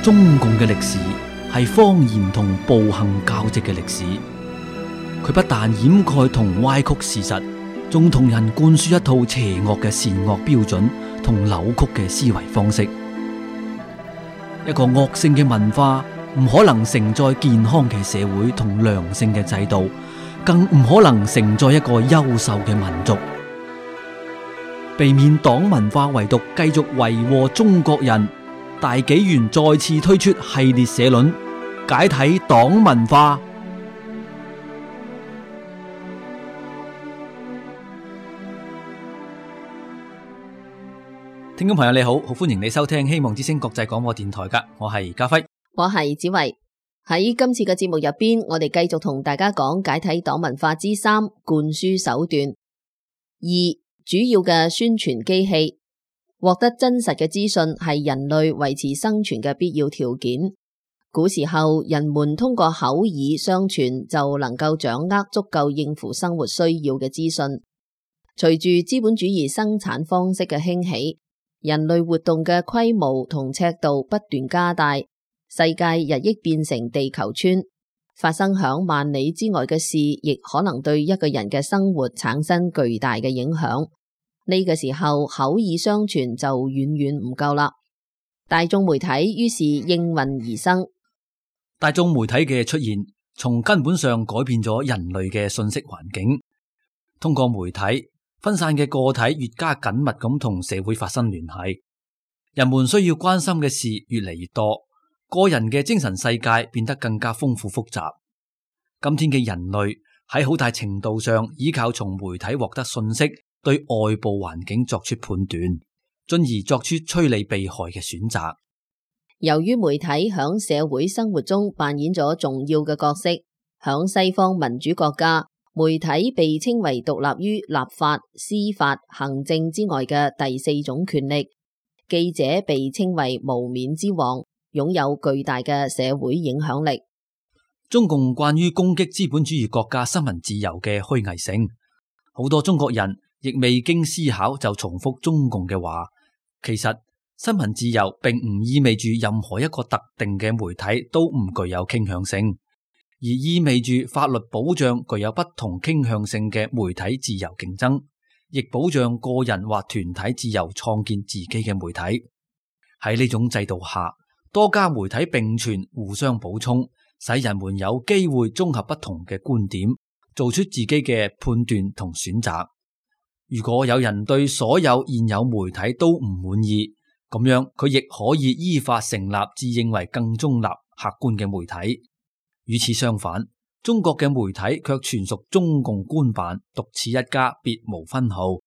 中共嘅歷史係謊言同暴行交織嘅歷史。佢不但掩蓋同歪曲事實，仲同人灌輸一套邪惡嘅善惡標準同扭曲嘅思維方式。一個惡性嘅文化唔可能承載健康嘅社會同良性嘅制度，更唔可能承載一個優秀嘅民族。避免黨文化遺毒繼續為禍中國人，大紀元再次推出系列社論，解體黨文化。聽眾朋友你好，好歡迎你收聽希望之聲國際廣播電台噶，我係家輝，我係子維。喺今次嘅節目入邊，我哋繼續同大家講解體黨文化之3，灌輸手段。2，主要嘅宣傳機器。獲得真實嘅資訊係人類維持生存嘅必要條件。古時候，人們通過口耳相傳就能夠掌握足夠應付生活需要嘅資訊。隨住資本主義生產方式嘅興起，人類活動嘅規模同尺度不斷加大，世界日益變成地球村。發生響萬里之外嘅事，亦可能對一個人嘅生活產生巨大嘅影響。呢個時候，口耳相傳就遠遠唔夠啦。大眾媒體於是應運而生。大眾媒體嘅出現，從根本上改變咗人類嘅信息環境。通過媒體，分散嘅個體越加緊密咁同社會發生聯繫，人們需要關心嘅事越嚟越多，個人嘅精神世界變得更加豐富複雜。今天嘅人類喺好大程度上依靠從媒體獲得信息，對外部環境作出判斷，進而作出趨利避害嘅選擇。由於媒體響社會生活中扮演咗重要嘅角色，響西方民主國家，媒體被稱為獨立於立法、司法、行政之外嘅第4種權力。記者被稱為無冕之王，擁有巨大嘅社會影響力。中共關於攻擊資本主義國家新聞自由嘅虛偽性，好多中國人亦未經思考就重複中共嘅話。其實新聞自由並唔意味住任何一個特定嘅媒體都唔具有傾向性，而意味住法律保障具有不同傾向性嘅媒體自由競爭，亦保障個人或團體自由創建自己嘅媒體。喺呢種制度下，多家媒體並存，互相補充，使人們有機會綜合不同嘅觀點，做出自己嘅判斷同選擇。如果有人對所有現有媒體都唔滿意，咁樣佢亦可以依法成立自認為更中立、客觀嘅媒體。與此相反，中國嘅媒體卻全屬中共官辦，獨此一家，別無分號。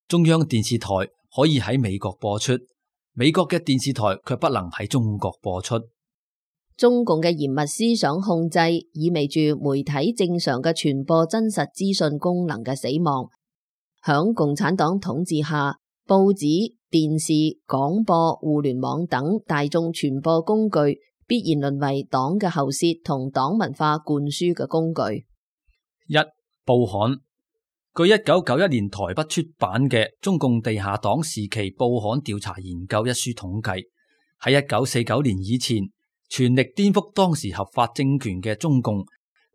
中央電視台可以喺美國播出，美國嘅電視台卻不能喺中國播出。中共嘅嚴密思想控制，意味住媒體正常嘅傳播真實資訊功能嘅死亡。響共產黨統治下，報紙、電視、廣播、互聯網等大眾傳播工具必然淪為黨嘅喉舌同黨文化灌輸嘅工具。1. 報刊。據1991年台北出版嘅《中共地下黨時期報刊調查研究》一書統計，喺1949年以前，全力顛覆當時合法政權嘅中共，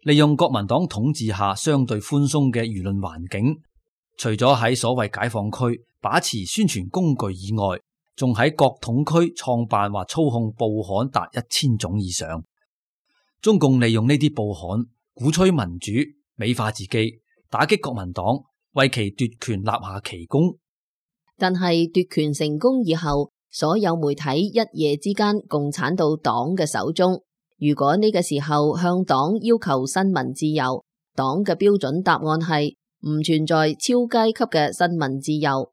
利用國民黨統治下相對寬鬆嘅輿論環境，除咗喺所謂解放區把持宣傳工具以外，仲喺各統區創辦或操控報刊達1000種以上。中共利用呢啲報刊鼓吹民主，美化自己，打擊國民黨，為其奪權立下奇功。但係奪權成功以後，所有媒體一夜之間共產到黨嘅手中。如果呢個時候向黨要求新聞自由，黨嘅標準答案係唔存在超階級嘅新聞自由。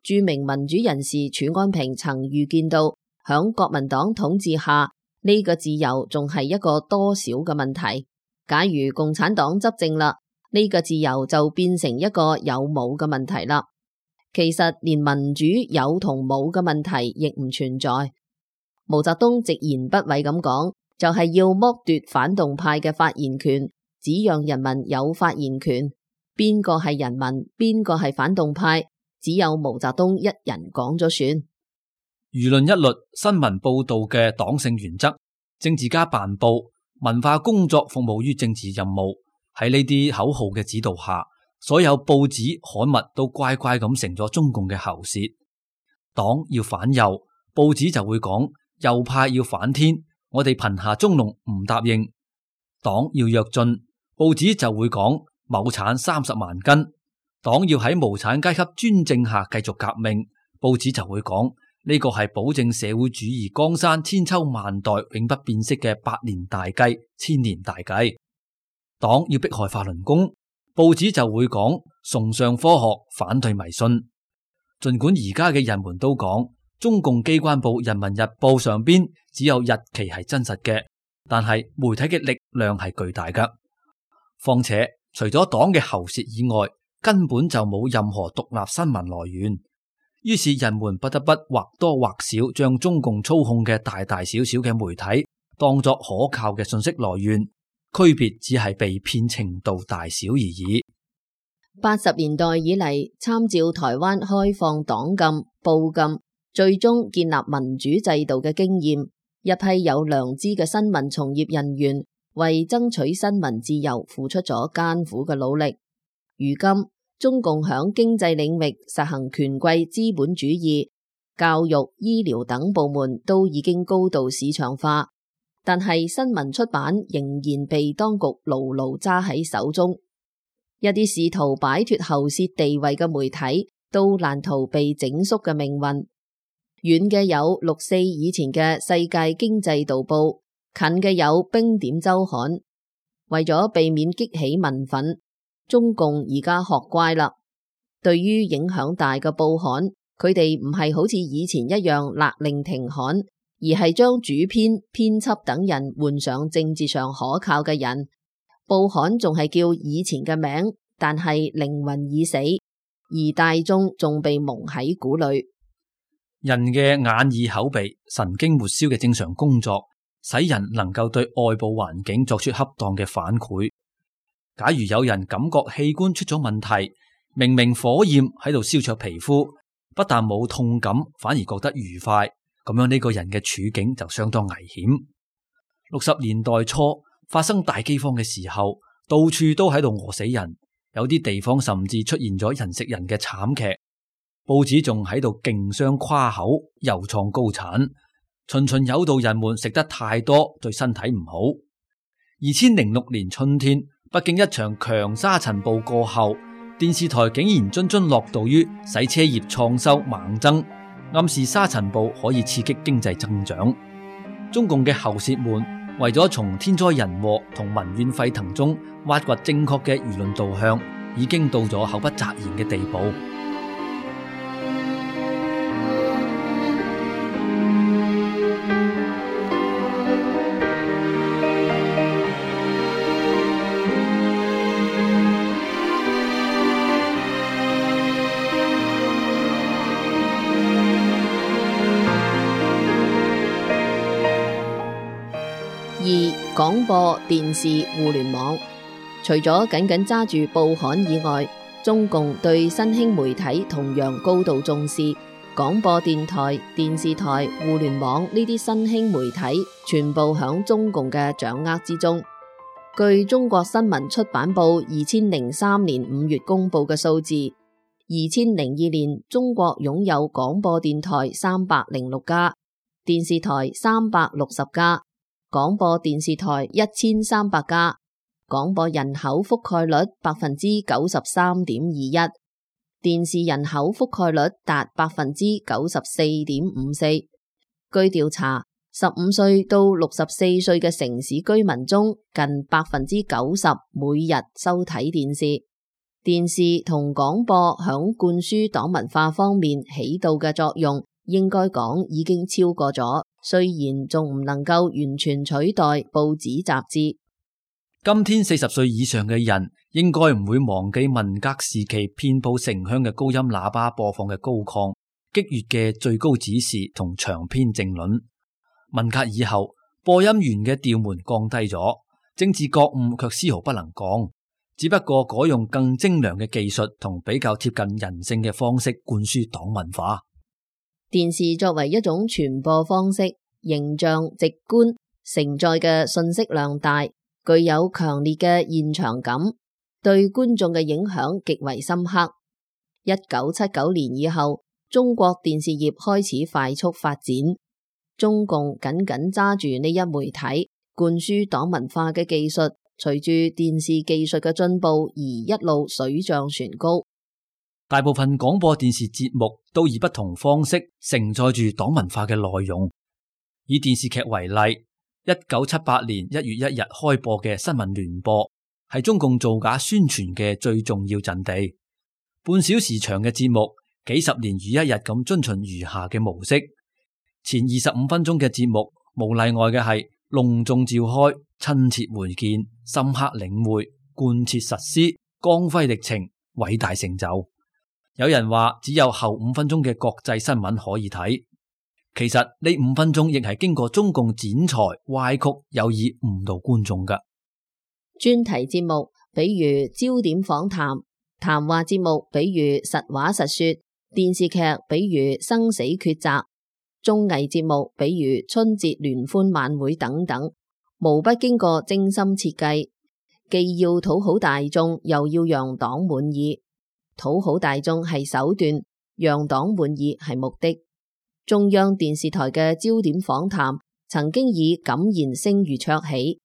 著名民主人士褚安平曾預見到，響國民黨統治下，呢個自由仲係一個多少嘅問題。假如共產黨執政啦，呢個自由就變成一個有冇嘅問題啦。其實連民主有同冇嘅問題亦唔存在。毛澤東直言不諱咁講，就係要剝奪反動派嘅發言權，只讓人民有發言權。邊個係人民，邊個係反動派，只有毛澤東一人講咗算。輿論一律、新聞報道嘅黨性原則、政治家辦報、文化工作服務於政治任務，喺呢啲口號嘅指導下，所有報紙刊物都乖乖咁成咗中共嘅喉舌。黨要反右，報紙就會講右派要反天，我哋貧下中農唔答應；黨要躍進，報紙就會講畝產30萬斤；黨要喺無產階級專政下繼續革命，報紙就會講呢個係保證社會主義江山千秋萬代永不變色嘅百年大計、千年大計。黨要迫害法輪功，報紙就會講崇尚科學，反對迷信。盡管而家嘅人們都講中共機關報《人民日報》上邊只有日期係真實嘅，但係媒體嘅力量係巨大㗎。況且除咗黨嘅喉舌以外，根本就冇任何獨立新聞來源。於是人們不得不或多或少將中共操控嘅大大小小嘅媒體當作可靠嘅信息來源，區別只係被騙程度大小而已。80年代以嚟，參照台灣開放黨禁、報禁，最終建立民主制度嘅經驗，一批有良知嘅新聞從業人員為爭取新聞自由付出咗艱苦嘅努力。如今中共響經濟領域實行權貴資本主義，教育、醫療等部門都已經高度市場化，但係新聞出版仍然被當局牢牢揸喺手中。一啲試圖擺脫喉舌地位嘅媒體都難逃被整肅嘅命運。遠嘅有6·4以前嘅世界經濟導報，近嘅有冰點週刊。為咗避免激起民憤，中共而家學乖啦。對於影響大嘅報刊，佢哋唔係好似以前一樣勒令停刊，而係將主編、編輯等人換上政治上可靠嘅人。報刊仲係叫以前嘅名，但係靈魂已死，而大眾仲被蒙喺鼓裏。人嘅眼耳口鼻神經末梢嘅正常工作，使人能夠對外部環境作出恰當嘅反饋。假如有人感覺器官出咗問題，明明火焰喺度燒灼皮膚，不但冇痛感，反而覺得愉快，咁樣呢個人嘅處境就相當危險。60年代初發生大饑荒嘅時候，到處都喺度餓死人，有啲地方甚至出現咗人食人嘅慘劇。報紙仲喺度競相誇口，又創高產，循循誘導人們食得太多對身體唔好。2006年春天，北京一場強沙塵暴過後，電視台竟然津津樂道於洗車業創收猛增，暗示沙塵暴可以刺激經濟增長。中共嘅喉舌們為咗從天災人禍同民怨沸騰中挖掘正確嘅輿論導向，已經到咗口不擇言嘅地步。2、廣播電視互聯網。除咗緊緊揸住報刊以外，中共對新興媒體同樣高度重視。廣播電台、電視台、互聯網呢啲新興媒體全部響中共嘅掌握之中。據中國新聞出版部2003年5月公布嘅數字，2002年中國擁有廣播電台306家，電視台360家，廣播電視台1300家，廣播人口覆蓋率93.21%，電視人口覆蓋率達94.54%。據調查，15歲到64歲嘅城市居民中，近90%每日收睇電視。電視同廣播響灌輸黨文化方面起到嘅作用，應該講已經超過咗，雖然仲唔能夠完全取代報紙雜誌。今天40歲以上嘅人應該唔會忘記文革時期遍佈城鄉嘅高音喇叭播放嘅高亢激越嘅最高指示同長篇政論。文革以後，播音員嘅調門降低咗，政治覺悟卻絲毫不能降，只不過改用更精良嘅技術同比較貼近人性嘅方式灌輸黨文化。電視作為一種傳播方式，形象直觀，承載嘅信息量大，具有強烈嘅現場感，對觀眾嘅影響極為深刻。1979年以後，中國電視業開始快速發展，中共緊緊揸住呢一媒體灌輸黨文化嘅技術，隨住電視技術嘅進步而一路水漲船高。大部分廣播電視節目都以不同方式承載住黨文化嘅內容。以電視劇為例，1978年1月1日開播嘅新聞聯播係中共造假宣傳嘅最重要陣地。半小時長嘅節目，幾十年如一日咁遵循餘下嘅模式。前25分鐘嘅節目，無例外嘅係隆重召開、親切會見、深刻領會、貫徹實施、光輝歷程、偉大成就。有人話只有後5分鐘嘅國際新聞可以睇，其實呢5分鐘亦係經過中共剪裁、歪曲，有意誤導觀眾㗎。專題節目比如焦點訪談，談話節目比如實話實說，電視劇比如生死抉擇，綜藝節目比如春節聯歡晚會等等，無不經過精心設計，既要討好大眾，又要讓黨滿意。討好大眾係手段，讓黨滿意係目的。中央電視台嘅焦點訪談曾經以感言聲譽卓起，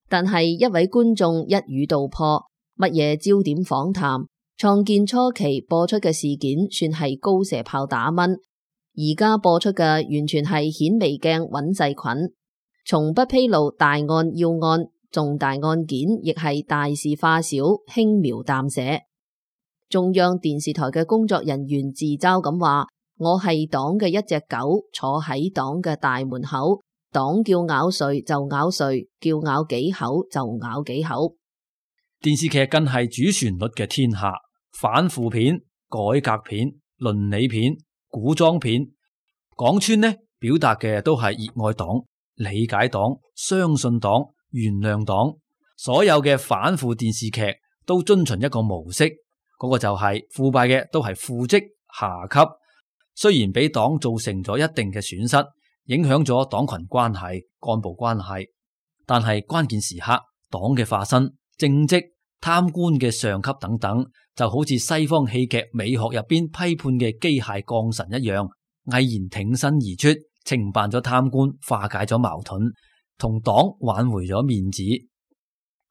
但係一位觀眾一語道破，乜嘢焦點訪談？創建初期播出嘅事件算係高射炮打蚊，而家播出嘅完全係顯微鏡揾細菌，從不披露大案要案，重大案件亦係大事化小，輕描淡寫。中央電視台嘅工作人員自嘲咁話：我係黨嘅一隻狗，坐喺黨嘅大門口，黨叫咬誰就咬誰，叫咬幾口就咬幾口。電視劇更係主旋律嘅天下，反腐片、改革片、倫理片、古裝片，講穿呢，表達嘅都係熱愛黨、理解黨、相信黨、原諒黨。所有嘅反腐電視劇都遵循一個模式，嗰個就係腐敗嘅都係副職下級，雖然俾黨造成咗一定嘅損失，影響咗黨群關係、幹部關係，但係關鍵時刻，黨嘅化身、政績、貪官嘅上級等等，就好似西方戲劇美學入邊批判嘅機械降神一樣，毅然挺身而出，懲辦咗貪官，化解咗矛盾，同黨挽回咗面子。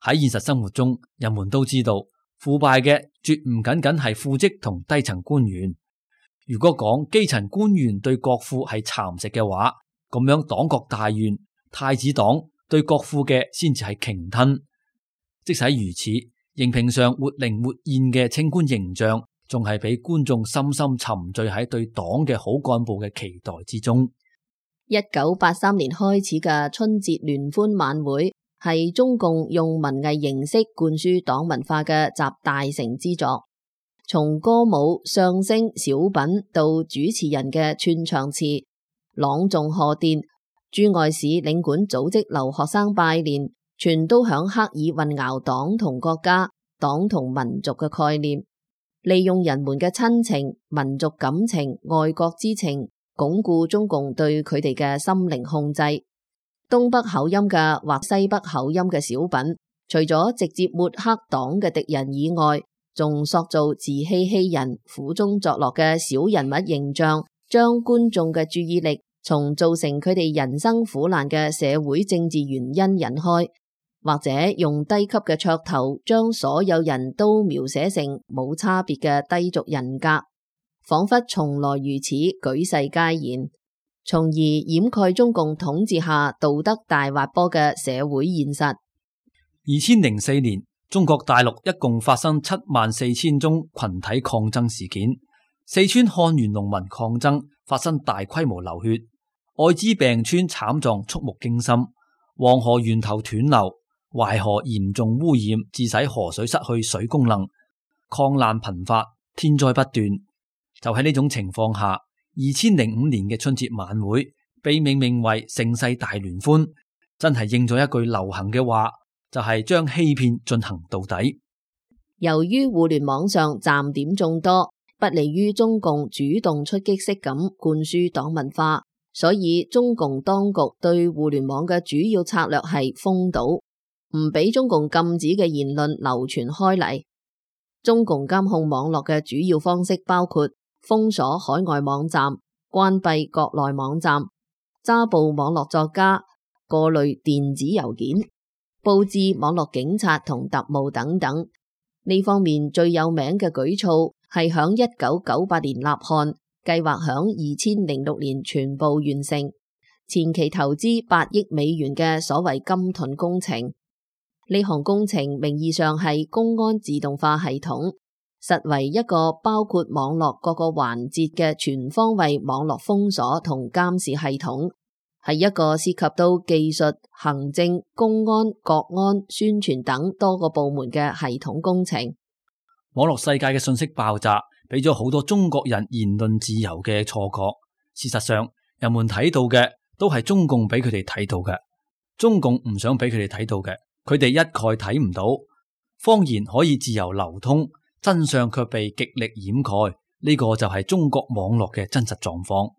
喺現實生活中，人們都知道，腐敗嘅絕唔僅僅係副職同低層官員。如果講基層官員對國庫係蠶食嘅話，咁樣黨國大員、太子黨對國庫嘅先至係鯨吞。即使如此，熒屏上活靈活現嘅清官形象，仲係俾觀眾深深沉醉喺對黨嘅好幹部嘅期待之中。1983年開始嘅春節聯歡晚會，係中共用文藝形式灌輸黨文化嘅集大成之作。從歌舞、相聲、小品到主持人嘅串場詞、朗誦賀電，駐外使領館組織留學生拜年，全都響刻意混淆黨同國家、黨同民族嘅概念，利用人們嘅親情、民族感情、愛國之情，鞏固中共對佢哋嘅心靈控制。東北口音嘅或西北口音嘅小品，除咗直接抹黑黨嘅敵人以外，仲塑造自欺欺人、苦中作樂嘅小人物形象，將觀眾嘅注意力從造成佢哋人生苦難嘅社會政治原因引開，或者用低級嘅噱頭將所有人都描寫成冇差別嘅低俗人格，仿佛從來如此，舉世皆然，從而掩蓋中共統治下道德大滑坡嘅社會現實。2004年，中國大陸一共發生74000宗群體抗爭事件，四川漢源農民抗爭發生大規模流血，艾滋病村慘狀觸目驚心，黃河源頭斷流，淮河嚴重污染，致使河水失去水功能，抗難頻發，天災不斷。就喺呢種情況下，2005年嘅春節晚會被命名為盛世大聯歡，真係應咗一句流行嘅話，就係將欺騙進行到底。由於互聯網上站點眾多，不利於中共主動出擊式咁灌輸黨文化，所以中共當局對互聯網嘅主要策略係封堵，唔俾中共禁止嘅言論流傳開嚟。中共監控網絡嘅主要方式包括封鎖海外網站、關閉國內網站、抓捕網絡作家、過濾電子郵件、佈置網絡警察同特務等等。呢方面最有名嘅舉措係響1998年立項，計劃響2006年全部完成，前期投資8億美元嘅所謂金盾工程。呢項工程名義上係公安自動化系統，實為一個包括網絡各個環節嘅全方位網絡封鎖同監視系統，係一個涉及到技術、行政、公安、國安、宣傳等多個部門嘅系統工程。網絡世界嘅信息爆炸，俾咗好多中國人言論自由嘅錯覺。事實上，人們睇到嘅都係中共俾佢哋睇到嘅，中共唔想俾佢哋睇到嘅，佢哋一概睇唔到。謊言可以自由流通，真相卻被極力掩蓋，呢個就係中國網絡嘅真實狀況。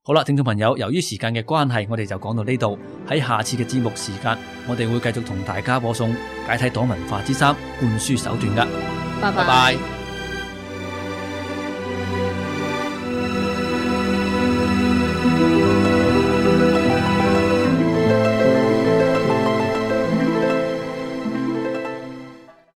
好啦，聽眾朋友，由於時間嘅關係，我哋就講到呢度。喺下次嘅節目時間，我哋會繼續同大家播送解體黨文化之3灌輸手段㗎。拜拜。